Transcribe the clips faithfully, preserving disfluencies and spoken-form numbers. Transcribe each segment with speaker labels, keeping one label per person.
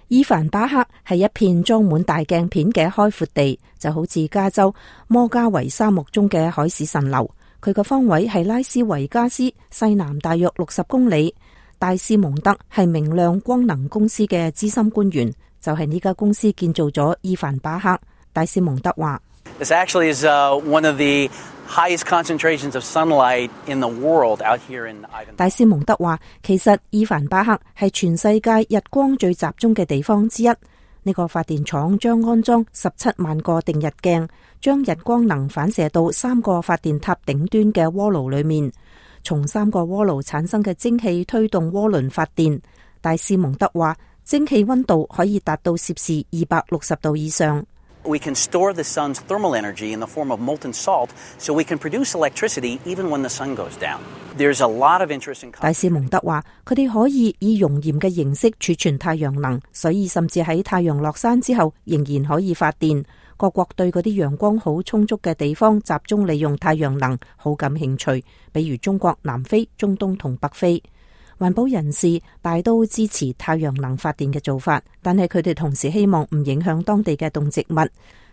Speaker 1: 伊凡巴克係一片裝滿大鏡片嘅開闊地，就好似加州摩加維沙漠中嘅海市蜃樓。佢個方位係拉斯維加斯西南大約六十公里。戴斯蒙德係明亮光能公司嘅資深官員，就係呢家公司建造咗伊凡巴克。戴斯蒙德話
Speaker 2: ：This actually is one of the highest concentrations of sunlight in the world out here in Ivanpah。
Speaker 1: 戴斯蒙德話，其實伊凡巴克係全世界日光最集中嘅地方之一。呢個發電廠將安裝十七萬個定日鏡，將日光能反射到三個發電塔頂端嘅鍋爐裏面，從三個鍋爐產生嘅蒸汽推動渦輪發電。戴斯蒙德話，蒸汽溫度可以達到攝氏二百六十度以上。
Speaker 2: We can store the sun's thermal energy in the form of molten salt, so we can produce electricity even when the sun goes down. There's a lot of interest in.
Speaker 1: 戴斯蒙德話，佢哋可以以熔鹽嘅形式儲存太陽能，所以甚至喺太陽落山之後，仍然可以發電。各國對嗰啲陽光好充足嘅地方集中利用太陽能好感興趣，比如中國、南非、中東同北非。環保人士大都支持太陽能發電嘅做法，但係佢哋同時希望唔影響當地嘅動植物。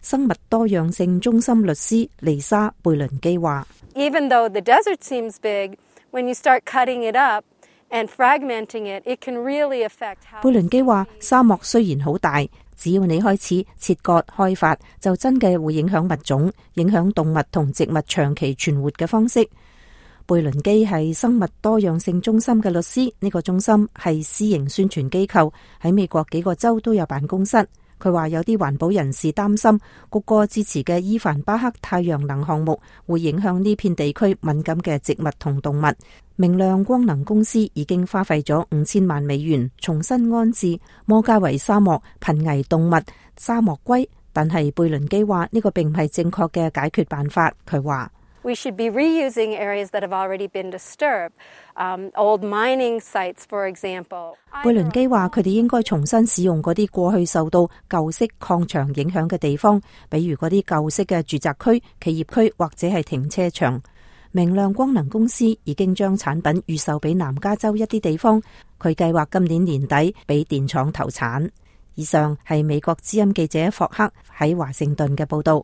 Speaker 1: 生物多樣性中心律師麗莎貝倫基話
Speaker 3: ：Even though the desert seems big, when you start cutting it up and fragmenting it, it can really affect how。
Speaker 1: 貝倫基話：沙漠雖然好大，只要你開始切割開發，就真嘅會影響物種，影響動物同植物長期存活嘅方式。貝倫基係生物多樣性中心嘅律師，呢個中心係私營宣傳機構，喺美國幾個州都有辦公室。佢話有啲環保人士擔心，谷歌支持嘅伊凡巴克太陽能項目會影響呢片地區敏感嘅植物同動物。明亮光能公司已經花費咗五千萬美元重新安置摩加維沙漠瀕危動物沙漠龜，但係貝倫基話呢個並唔係正確嘅解決辦法。佢話
Speaker 3: We should be reusing areas that have already been disturbed, um, old mining sites, for example.
Speaker 1: 貝倫基話：佢哋應該重新使用嗰啲過去受到舊式礦場影響嘅地方，比如嗰啲舊式嘅住宅區、企業區或者係停車場。明亮光能公司已經將產品預售俾南加州一啲地方，佢計劃今年年底俾電廠投產。以上係美國之音記者霍克喺華盛頓嘅報道。